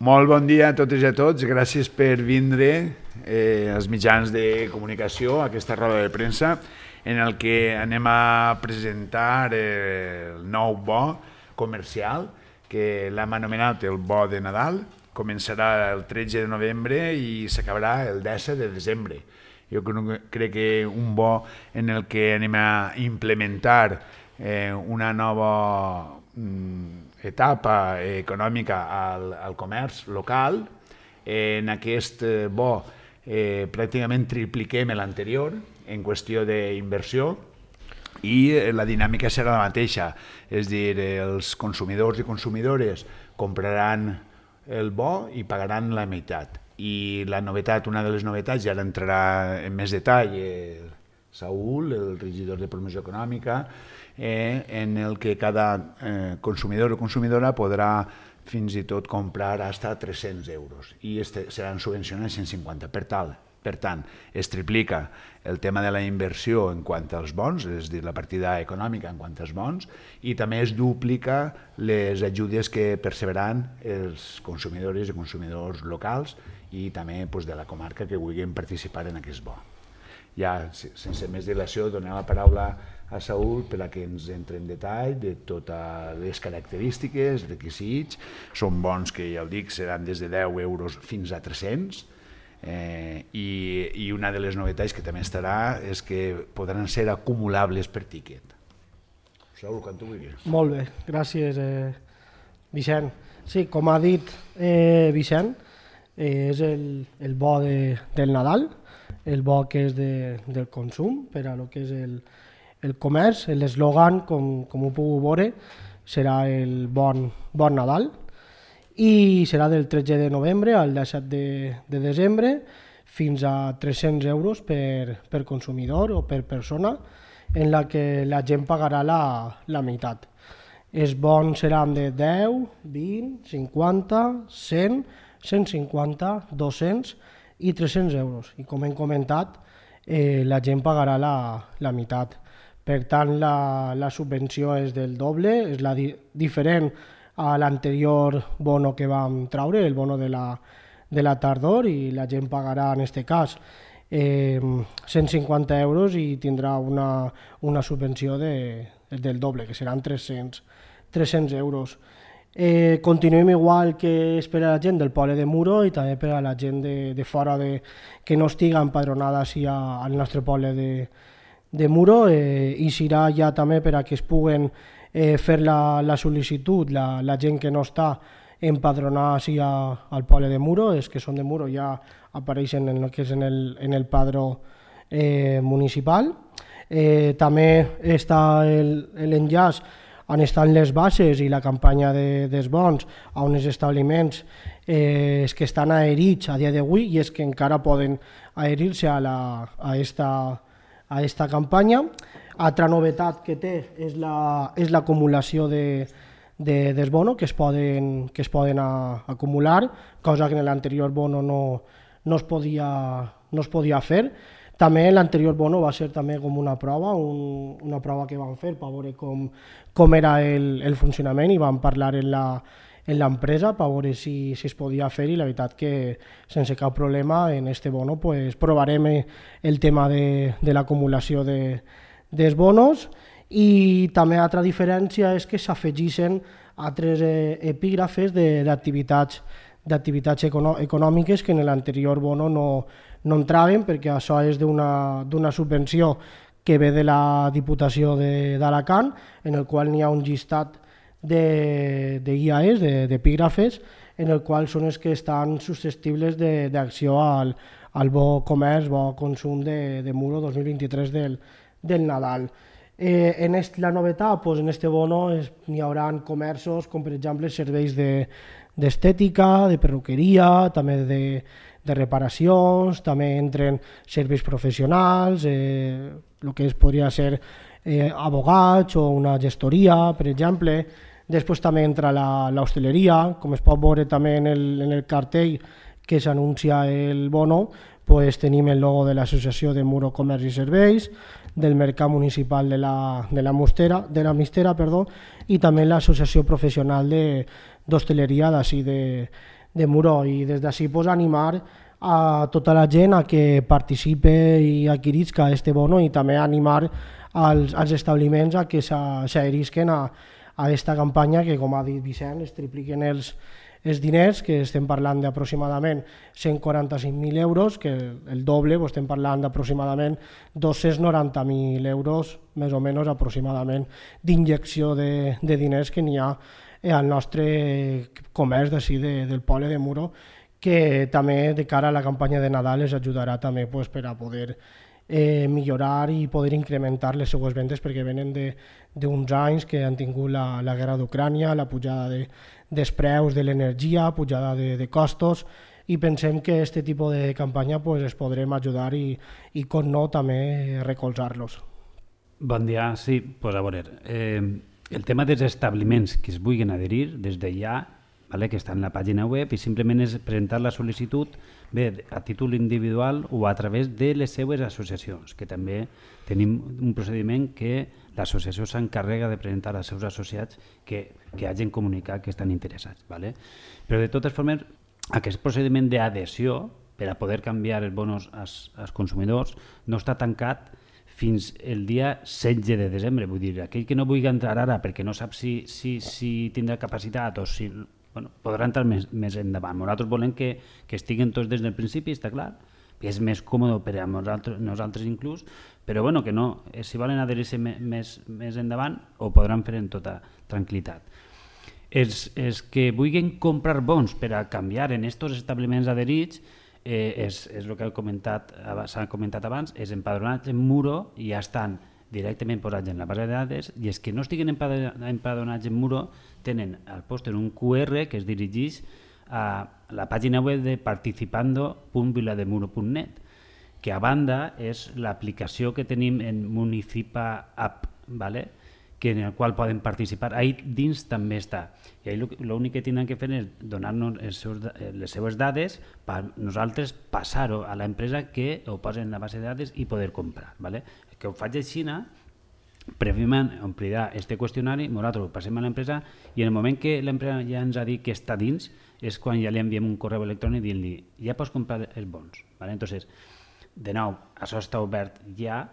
Molt bon dia a totes i a tots. Gràcies per vindre als mitjans de comunicació a aquesta roda de premsa en el que anem a presentar el nou bo comercial que l'hem anomenat el bo de Nadal. Començarà el 13 de novembre i s'acabarà el 10 de desembre. Jo crec que un bo en el que anem a implementar una nova etapa econòmica al comerç local. En aquest bo pràcticament tripliquem l'anterior en qüestió d'inversió i la dinàmica serà la mateixa, és a dir, els consumidors i consumidores compraran el bo i pagaran la meitat. I la novetat, una de les novetats, ja entrarà en més detall Saúl, el regidor de promoció econòmica, en el que cada consumidor o consumidora podrà fins i tot comprar fins a 300 euros i seran subvencionats 150. Per tant, es triplica el tema de la inversió en quant als bons, és a dir, la partida econòmica en quant als bons, i també es duplica les ajudes que perceberan els consumidors i consumidors locals i també de la comarca que vulguin participar en aquest bo. Ja, sense més dilació, donem la paraula a Saúl per a que ens entre en detall de totes les característiques, requisits. Són bons que, ja ho dic, seran des de 10 euros fins a 300 i una de les novetats que també estarà és que podran ser acumulables per tíquet. Saúl, quan tu vulguis. Molt bé, gràcies, Vicent. Sí, com ha dit Vicent, és el bo del Nadal, el bo que és del consum per a lo que és el comerç. L'eslògan, com ho puc veure, serà el bon Nadal i serà del 13 de novembre al 17 de desembre fins a 300 euros per consumidor o per persona, en la que la gent pagarà la meitat. Els bons seran de 10, 20, 50, 100, 150, 200 i 300 euros. I com hem comentat, la gent pagarà la meitat. Per tant, la subvenció és del doble, és diferent a l'anterior bono que vam treure, el bono de la tardor, i la gent pagarà, en aquest cas, 150 euros i tindrà una subvenció del doble, que seran 300 euros. Continuem igual que és per a la gent del poble de Muro i també per a la gent de fora que no estiga empadronada al nostre poble de Muro, i serà ja també per a que es puguen fer la sol·licitud la gent que no està empadronada al poble de Muro. Els que són de Muro ja apareixen en el padró municipal. També està l'enllaç on estan les bases i la campanya dels bons a uns establiments que estan adherits a dia d'avui i és que encara poden adherir-se a esta campanya. Altra novetat que té és l'acumulació dels bonos que es poden acumular, cosa que en l'anterior bono no es podia fer. També l'anterior bono va ser també com una prova que vam fer per veure com era el funcionament, i vam parlar en l'empresa per veure si es podia fer, i la veritat que sense cap problema en este bono provarem el tema de l'acumulació dels bonos. I també altra diferència és que s'afegeixen altres epígrafes d'activitats econòmiques que en l'anterior bono no entraven, perquè això és d'una subvenció que ve de la Diputació d'Alacant, en el qual n'hi ha un llistat d'IAEs, d'epígrafes, en el qual són els que estan susceptibles d'acció al bo comerç, bo consum de Muro 2023 del Nadal. La novetat, en este bono n'hi haurà comerços com per exemple serveis d'estètica, de perruqueria, també de reparacions, també entren serveis professionals, el que podria ser abogats o una gestoria, per exemple. Després també entra l'hostaleria, com es pot veure també en el cartell que s'anuncia el bono, tenim el logo de l'Associació de Muro Comerç i Serveis, del Mercat Municipal de la Mistera, i també l'Associació Professional d'Hostaleria d'ací de Muro, i des d'ací pues, animar a tota la gent a que participe i adquirisca este bono, i també animar als establiments a que s'adherisquen a aquesta campanya que, com ha dit Vicent, es tripliquen els diners, que estem parlant d'aproximadament 145.000 euros, que el doble, estem parlant d'aproximadament 290.000 euros, més o menys aproximadament, d'injecció de diners que n'hi ha al nostre comerç d'ací del poble de Muro, que també de cara a la campanya de Nadal els ajudarà també per a poder millorar i poder incrementar les seues vendes, perquè venen d'uns anys que han tingut la guerra d'Ucrània, la pujada dels preus de l'energia, pujada de costos, i pensem que aquest tipus de campanya es podrem ajudar i com no, també recolzar-los. Bon dia, sí, pues a veure, el tema dels establiments que es vulguin adherir des de ja, que està en la pàgina web, i simplement és presentar la sol·licitud bé a títol individual o a través de les seues associacions, que també tenim un procediment que l'associació s'encarrega de presentar als seus associats que hagin comunicat que estan interessats. Però de totes formes, aquest procediment d'adhesió per a poder canviar els bonos als consumidors no està tancat fins el dia 16 de desembre. Vull dir, aquell que no vulgui entrar ara perquè no sap si tindrà capacitat o si podrà entrar més endavant. Nosaltres volem que estiguin tots des del principi, està clar, que és més còmode per a nosaltres inclús, però que no, si volen adherir-se més endavant ho podran fer en tota tranquil·litat. Els que vulguin comprar bons per a canviar en aquests establiments adherits és el que s'ha comentat abans, és empadronats en Muro i ja estan directament posats en la base de dades, i els que no estiguin empadronats en Muro tenen al pòster un QR que es dirigeix a la pàgina web de participando.vilademuro.net, que a banda és l'aplicació que tenim en Municipa App, en el qual poden participar. Ahí dins també està. I ahí l'únic que tenen que fer és donar-nos les seues dades per nosaltres passar-ho a l'empresa que ho posa en la base de dades i poder comprar. Que ho faig així, prèviament omplirà aquest qüestionari, nosaltres ho passem a l'empresa i en el moment que l'empresa ja ens ha dit que està dins és quan ja li enviem un correu electrònic dient-li ja pots comprar els bons. Entonces, de nou, això està obert ja.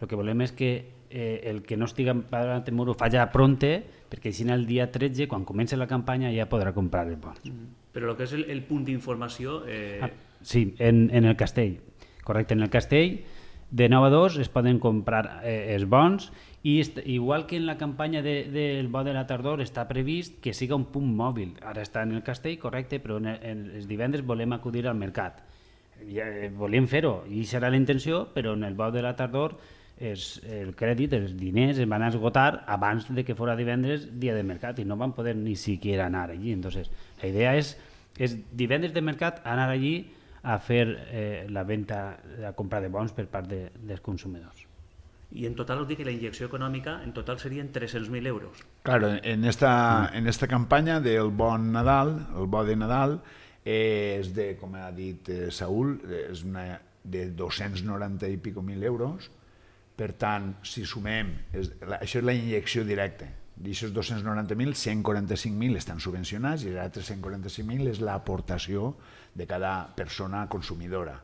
El que volem és que el que no estigui empadronat en Muro fa ja pronte, perquè així el dia 13, quan comença la campanya, ja podrà comprar els bons. Però el que és el punt d'informació... Sí, en el Castell. Correcte, en el Castell de 9 a 2 es poden comprar els bons, i igual que en la campanya del bo de la tardor està previst que siga un punt mòbil. Ara està en el Castell, correcte, però els divendres volem acudir al mercat. Volíem fer-ho, i serà la intenció, però en el bo de la tardor el crèdit, els diners es van esgotar abans de que fora divendres dia de mercat i no van poder ni siquiera anar allí. Entonces, la idea és divendres de mercat anar allí a fer la venda, la compra de bons per part dels consumidors. I en total us dic que la injecció econòmica en total serien 300.000 euros. Claro, en esta campanya del bon Nadal, el bo de Nadal, és de, com ha dit Saúl, és de 290 i pico mil euros. Per tant, si sumem, això és la injecció directa. D'aixòs 290.000, 145.000 estan subvencionats i els altres 145.000 és l'aportació de cada persona consumidora.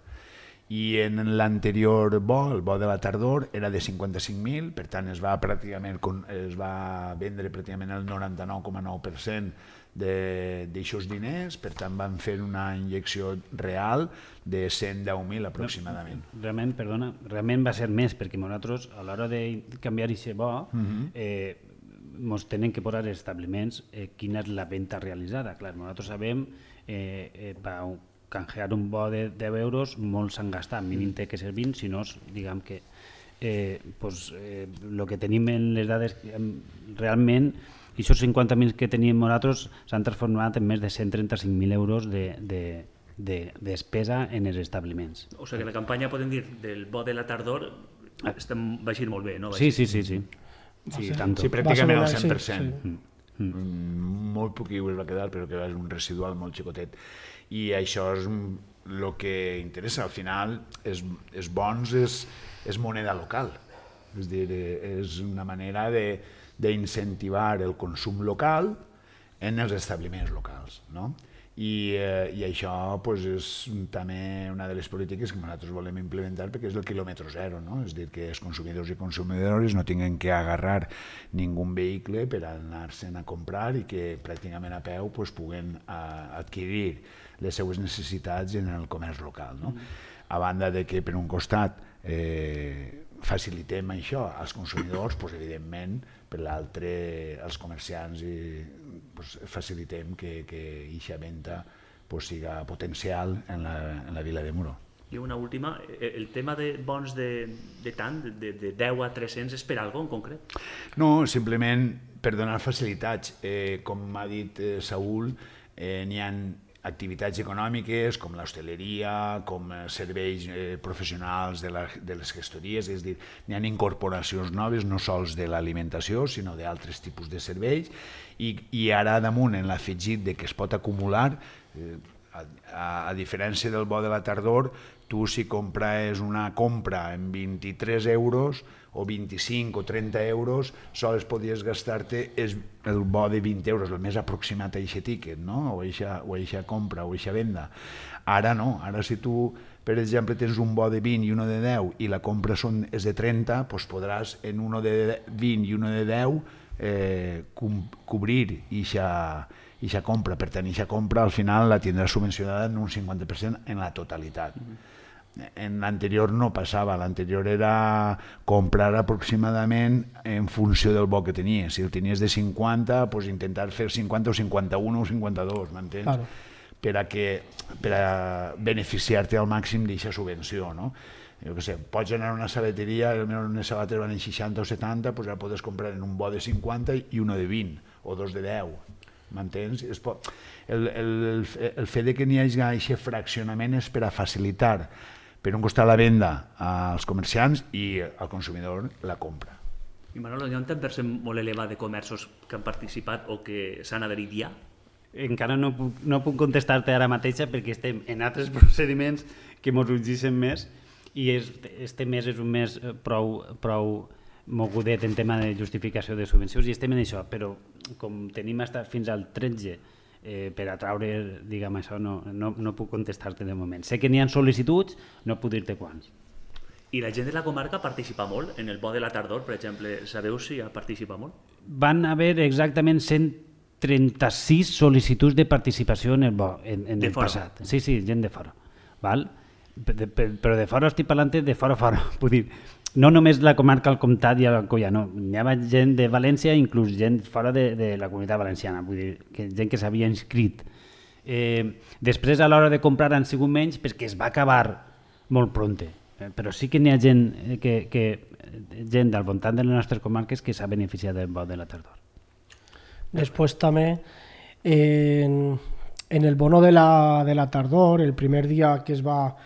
I en l'anterior bo, el bo de la tardor, era de 55.000, per tant es va vendre pràcticament el 99,9% d'aixòs diners, per tant van fer una injecció real de 110.000 aproximadament. Realment va ser més, perquè nosaltres a l'hora de canviar aquest bo ens tenen que posar els establiments quina és la venda realitzada. Clar, nosaltres sabem per canjear un bo de 10 euros molts s'han gastat, mínim té que ser 20, si no, diguem que el que tenim en les dades realment, i aquests 50.000 que tenim nosaltres s'han transformat en més de 135.000 euros de despesa en els establiments. O sigui que la campanya, podem dir, del bo de la tardor va eixir molt bé, no? Sí. Sí, pràcticament al 100%. Molt poc es va quedar, però que és un residual molt xicotet. I això és el que interessa. Al final, els bons és moneda local. És dir, és una manera d'incentivar el consum local en els establiments locals, no? i això pues, és també una de les polítiques que nosaltres volem implementar perquè és el quilòmetre zero, no? És a dir, que els consumidors i consumidores no tinguin que agarrar ningú vehicle per anar-se'n a comprar i que pràcticament a peu pues, puguen adquirir les seues necessitats en el comerç local. No? A banda de que per un costat facilitem això als consumidors, pues, evidentment per l'altre als comerciants facilitem que aquesta venda siga potencial en la vila de Muro. I una última, el tema de bons de tant, de 10 a 300, és per alguna cosa en concret? No, simplement per donar facilitats. Com m'ha dit Saúl, n'hi ha activitats econòmiques com l'hostaleria, com serveis professionals de les gestories, és a dir, n'hi ha incorporacions noves, no sols de l'alimentació, sinó d'altres tipus de serveis, i ara damunt en l'afegit de que es pot acumular, a diferència del bo de la tardor, tu si compres una compra en 23 euros o 25 o 30 euros, sols podies gastar-te el bo de 20 euros, el més aproximat a aquest tiquet, no? o eixa compra, o eixa venda. Ara no, ara si tu, per exemple, tens un bo de 20 i uno de 10 i la compra és de 30, doncs podràs en uno de 20 i uno de 10 cobrir eixa compra. Per tant, eixa compra al final la tindràs subvencionada en un 50% en la totalitat. En l'anterior no passava, l'anterior era comprar aproximadament en funció del bo que tenies. Si el tenies de 50, doncs intentar fer 50 o 51 o 52, m'entens? Claro. Per a beneficiar-te al màxim d'aquesta subvenció, no? Jo què sé, pots anar a una sabateria, unes sabates van en 60 o 70, doncs ara podes comprar en un bo de 50 i uno de 20, o dos de 10, m'entens? El fet que n'hi hagi aquest fraccionament és per a facilitar per un costat la venda als comerciants i al consumidor la compra. I Manolo, hi ha un 10% molt elevat de comerços que han participat o que s'han adherit ja? Encara no puc contestar-te ara mateixa perquè estem en altres procediments que ens urgeixen més i este mes és un mes prou mogudet en tema de justificació de subvencions i estem en això, però com tenim fins al 13 per atraure, diguem això, no puc contestar-te de moment. Sé que n'hi ha sol·licituds, no puc dir-te quants. I la gent de la comarca participa molt? En el bo de la tardor, per exemple, sabeu si ha participat molt? Van haver exactament 136 sol·licituds de participació en el bo, en el passat. Sí, gent de fora. Val? Però de fora estic parlant de fora. Vull dir, no només la comarca, el comtat i l'Alcoià, no. Hi havia gent de València, inclús gent fora de la comunitat valenciana, vull dir, gent que s'havia inscrit. Després, a l'hora de comprar, han sigut menys perquè es va acabar molt pronte. Però sí que n'hi ha gent del voltant de les nostres comarques que s'ha beneficiat del bo de la tardor. Després també, en el bono de la tardor, el primer dia que es va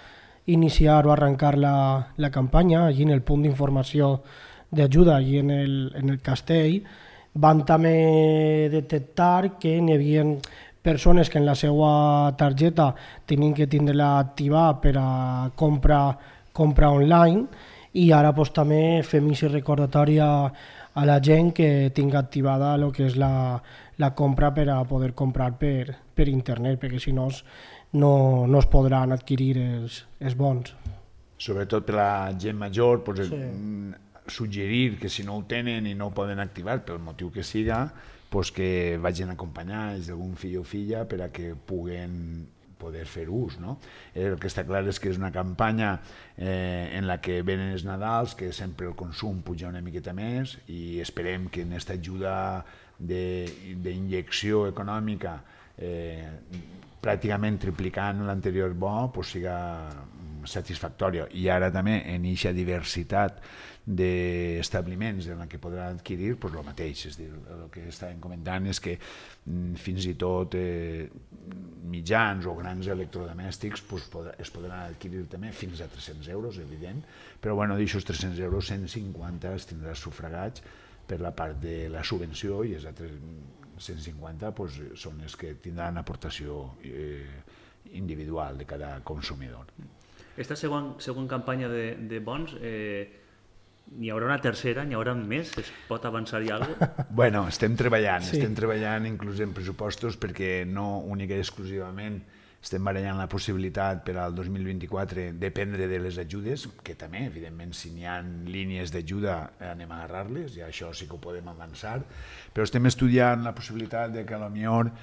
iniciar o arrencar la campanya, allí en el punt d'informació d'ajuda, allí en el castell, van també detectar que n'hi havia persones que en la seva targeta tenien que tindre-la activada per a compra online i ara pues, també fem aquest recordatori a la gent que tingui activada el que és la compra per a poder comprar per internet, perquè si no no es podran adquirir els bons. Sobretot per la gent major, pues, suggerir que si no ho tenen i no ho poden activar pel motiu que siga, pues, que vagin acompanyats d'algun fill o filla per a que puguen poder fer ús. No? El que està clar és que és una campanya en la que venen els Nadals, que sempre el consum puja una miqueta més i esperem que en aquesta ajuda d'injecció econòmica pràcticament triplicant l'anterior bo pues, siga satisfactòria. I ara també en aquesta diversitat d'establiments en què podran adquirir pues, el mateix. És dir, el que estàvem comentant és que fins i tot mitjans o grans electrodomèstics pues, es podran adquirir també fins a 300 euros, evident, però bueno, d'aixòs 300 euros, 150 els tindràs sufragats per la part de la subvenció i els altres 150 pues, són els que tindran aportació individual de cada consumidor. Esta segona campanya de bons n'hi haurà una tercera, n'hi haurà més? Es pot avançar-hi alguna cosa? Bueno, estem treballant, Sí. estem treballant inclús en pressupostos perquè no única i exclusivament estem barallant la possibilitat per al 2024 dependre de les ajudes, que també, evidentment, si n'hi ha línies d'ajuda anem a agarrar-les, i això sí que ho podem avançar, però estem estudiant la possibilitat de que potser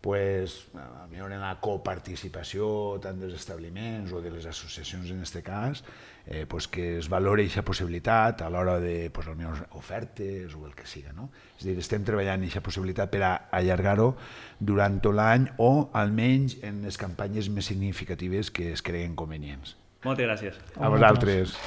pues, en la coparticipació tant dels establiments o de les associacions en aquest cas, pues que es valori aquesta possibilitat a l'hora de pues, ofertes o el que siga. No? És a dir, estem treballant aquesta possibilitat per a allargar-ho durant tot l'any o almenys en les campanyes més significatives que es creguin convenients. Moltes gràcies. A vosaltres.